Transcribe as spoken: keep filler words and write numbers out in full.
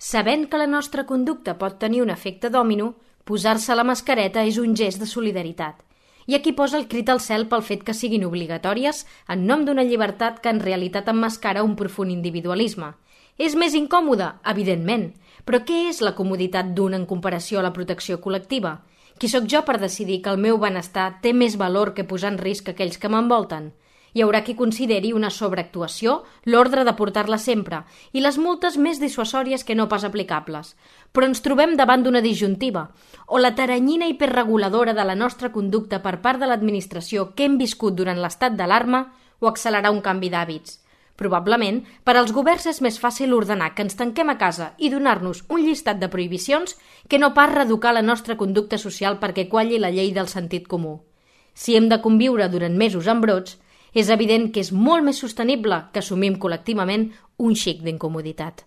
Sabent que la nostra conducta pot tenir un efecte dòmino, posar-se la mascareta és un gest de solidaritat. I aquí posa el crit al cel pel fet que siguin obligatòries en nom d'una llibertat que en realitat emmascara un profund individualisme. És més incòmode? Evidentment. Però què és la comoditat d'un en comparació a la protecció col·lectiva? Qui sóc jo per decidir que el meu benestar té més valor que posar en risc aquells que m'envolten? Hi haurà qui consideri una sobreactuació l'ordre de portar-la sempre i les multes més dissuasòries que no pas aplicables. Però ens trobem davant d'una disjuntiva, o la taranyina hiperreguladora de la nostra conducta per part de l'administració que hem viscut durant l'estat d'alarma o accelerar un canvi d'hàbits. Probablement, per als governs és més fàcil ordenar que ens tanquem a casa i donar-nos un llistat de prohibicions que no pas reeducar la nostra conducta social perquè qualli la llei del sentit comú. Si hem de conviure durant mesos amb brots, és evident que és molt més sostenible que assumim col·lectivament un xic d'incomoditat.